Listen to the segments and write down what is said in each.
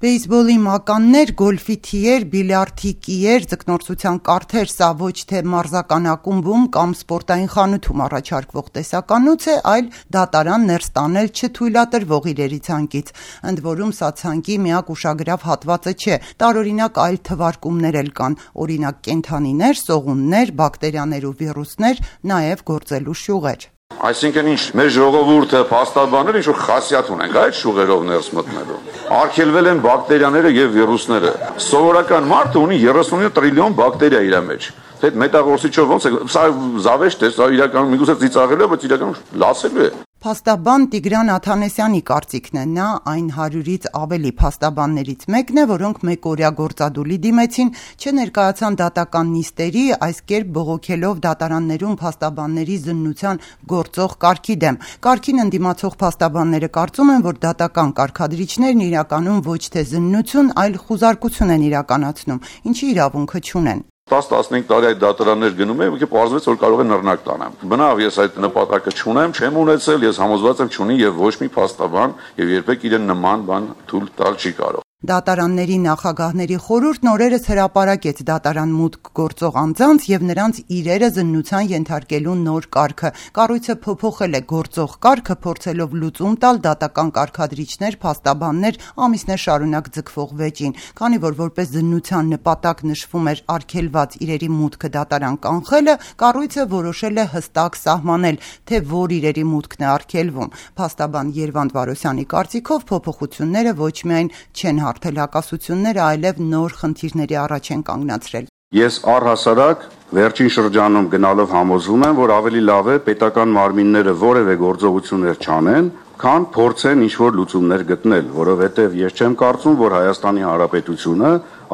Բեյսբոլի մականներ, գոլֆի թիեր, բիլիարդի կիեր, ձկնորսության կարթեր, սա ոչ թե մարզական ակումբում կամ սպորտային խանութում առաջարկվող տեսականոց է, այլ դատարան ներս տանել չթույլատրվող իրերի ցանկից։ Ընդ որում սա ցանկի միակ ուշագրավ հատվածը չէ, տարօրինակ այլ թվարկումներ էլ կան, օրինակ կենդանիներ, սողուններ, բակտերիաներ ու վիրուսներ, նաև գործելու շյուղեր։ Այսինքն ինչ մեր ժողովուրդը փաստաբաններ ինչ որ խասյաթ ունենք այդ շուղերով ներս մտնելու։ Արգելվել են բակտերիաները եւ վիրուսները։ Սովորական մարդը ունի 39 տրիլիոն բակտերիա իր մեջ։ Այդ մետաղորսիչով ոնց է, սա զավեշտ է, սա իրականում միգուցե ծիծաղելու է, բայց իրականում լացելու է։ Փաստաբան Տիգրան Աթանեսյանի կարծիքն է, նա այն 100-ից ավելի փաստաբաններից մեկն է, որոնք մեկօրյա գործադուլի դիմեցին, չներկայացան դատական նիստերի, այս կերպ բողոքելով դատարաններում փաստաբանների զննության գործող կարգի դեմ։ Կարգին ընդդիմացող փաստաբանները կարծում են, որ դատական կարգադրիչներն իրականում ոչ թե զննություն, այլ խուզարկություն են իրականացնում, ինչի իրավունքը չունեն։ 10-15 տարի այդ դատարաններ գնում եմ, պարզվեց, որ կարող է նռնակ տանեմ։ Բնավ ես այդ նպատակը չունեմ, չեմ ունեցել, ես համոզված եմ չունի եւ ոչ մի փաստաբան եւ երբեք իրեն նման բան թույլ տալ չի կարող։ Դատարանների նախագահների խորհուրդն օրերս հրապարակեց դատարան մուտք գործող անձանց եւ նրանց իրերը զննության ենթարկելու նոր կարգը։ Կառույցը փոփոխել է գործող կարգը, փորձելով լուծում տալ դատական կարգադրիչներ, փաստաբաններ ամիսներ շարունակ ձգվող վեճին։ Քանի որ որպես զննության նպատակ նշվում էր արգելված իրերի մուտքը դատարան կանխելը, կառույցը որոշել է հստակ սահմանել, թե որ իրերի մուտքն է արգելվում։ Փաստաբան Երվանդ Վարոսյանի կարծիքով փոփոխությունները ոչ միայն չեն հաղթելակասությունները, այլև նոր խնդիրների առաջ են կանգնացրել։ Ես առհասարակ վերջին շրջանում գնալով համոզվում եմ, որ ավելի լավ է պետական մարմինները որևէ գործողություններ չանեն, քան փորձեն ինչ-որ լուծումներ գտնել, որովհետև ես չեմ կարծում, որ Հայաստանի Հանրապետությունը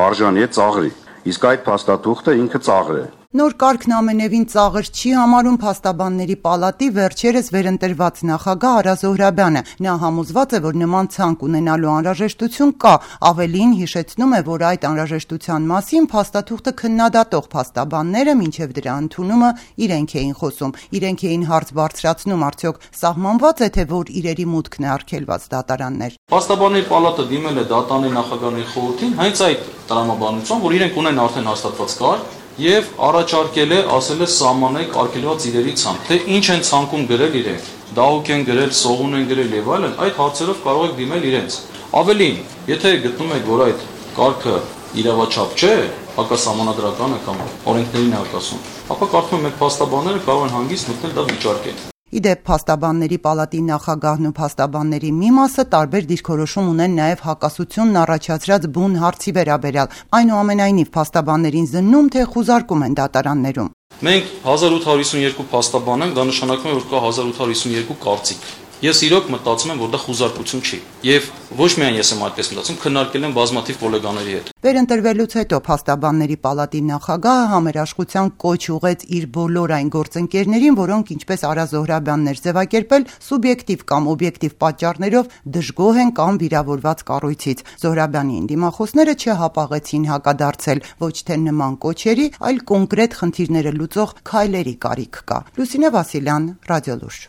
արժանի է ծաղրի, իսկ այդ փաստաթուղթը ինքը ծաղր է։ Նոր կարգն ամենևին ծաղր չի համարում Փաստաբանների պալատի վերջերս վերընտրված նախագահ Արա Զոհրաբյանը։ Նա համոզված է, որ նման ցանկ ունենալու անհրաժեշտություն կա, ավելին հիշեցնում է, որ այդ անհրաժեշտության մասին փաստաթուղթը քննադատող փաստաբանները մինչև դրա ընդունումը իրենք էին խոսում, իրենք էին հարց բարձրացնում, արդյոք սահմանված է, թե որ իրերի մուտքն է արգելված դատարաններ։ Փաստաբանների պալատը դիմել է դատարանի նախագահների խորհրդին հենց այդ տրամաբանությամբ, որ իրենք ունեն արդեն հաստատված կարգ եւ առաջարկել է, ասել է սահմանեք արգելված իրերի ցանկ, թե ինչ են ցանկում գրել իրենք, դահուկ են գրել, սողուն են գրել եւ այլն, այդ հարցերով կարող եք դիմել իրենց։ Ավելին, եթե գտնում եք, որ այդ կարգը իրավաչափ չէ, հակասահմանադրական է կամ օրենքներին հակասում, ապա կարծում եմ մեր փաստաբանները կարող են հանգիստ մտնել դա վիճարկել։ Իդեպ Փաստաբանների պալատի նախագահն ու փաստաբանների մի մասը տարբեր դիրքորոշում ունեն նաև հակասությունն առաջացրած բուն հարցի վերաբերյալ, այնուամենայնիվ փաստաբաններին զննում, թե խուզարկում են դատարաններում։ Մենք 1852 փաստաբան ենք, դա նշանակում է, որ կա 1852 կարծիք։ Ես իրոք մտածում եմ, որ դա խուզարկություն չի։ Եվ ոչ միայն ես եմ այդպես մտածում, քննարկել եմ բազմաթիվ գոլեգաների հետ։ Վերընտրվելուց հետո Փաստաբանների պալատի նախագահը համերաշխության կոչ ուղեց իր բոլոր այն գործընկերներին, որոնք ինչպես Արա Զոհրաբյանն էր ձևակերպել, սուբյեկտիվ կամ օբյեկտիվ պատճառներով դժգոհ են կամ վիրավորված կառույցից։ Զոհրաբյանի դիմախոսները չհապաղեցին հակադարձել, ոչ թե նման կոչերի, այլ կոնկրետ խնդիրները լուծող քայլերի կարիք կա։ Լուսինե Վասիլյան, Ռադիոլուրջ։